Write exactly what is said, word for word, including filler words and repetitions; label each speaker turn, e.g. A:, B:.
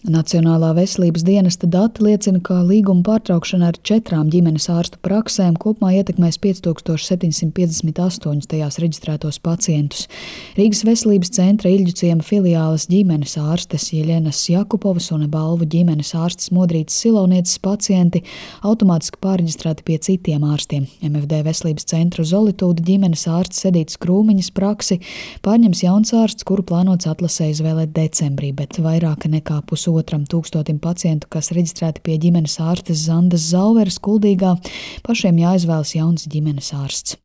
A: Nacionālā veselības dienesta dati liecina, ka līguma pārtraukšana ar četrām ģimenes ārstu praksēm kopumā ietekmēs pieci tūkstoši septiņsimt piecdesmit astoņus tajās reģistrētos pacientus. Rīgas veselības centra Iļģu ciema filiāles ģimenes ārstes Jeļenas Jakupovas un Balvu ģimenes ārstes Modrītas Silovnieces pacienti automātiski pārreģistrēti pie citiem ārstiem. M F D veselības centra Zolitūda ģimenes ārstes Edītas Krūmiņas praksi pārņems jauns ārsts, kuru plānots atlasē izvēlēt decembrī, bet vairāk nekā pusotru otram tūkstotim pacientu, kas reģistrēti pie ģimenes ārstes Zandas Zauveres Kuldīgā, pašiem jāizvēlas jauns ģimenes ārsts.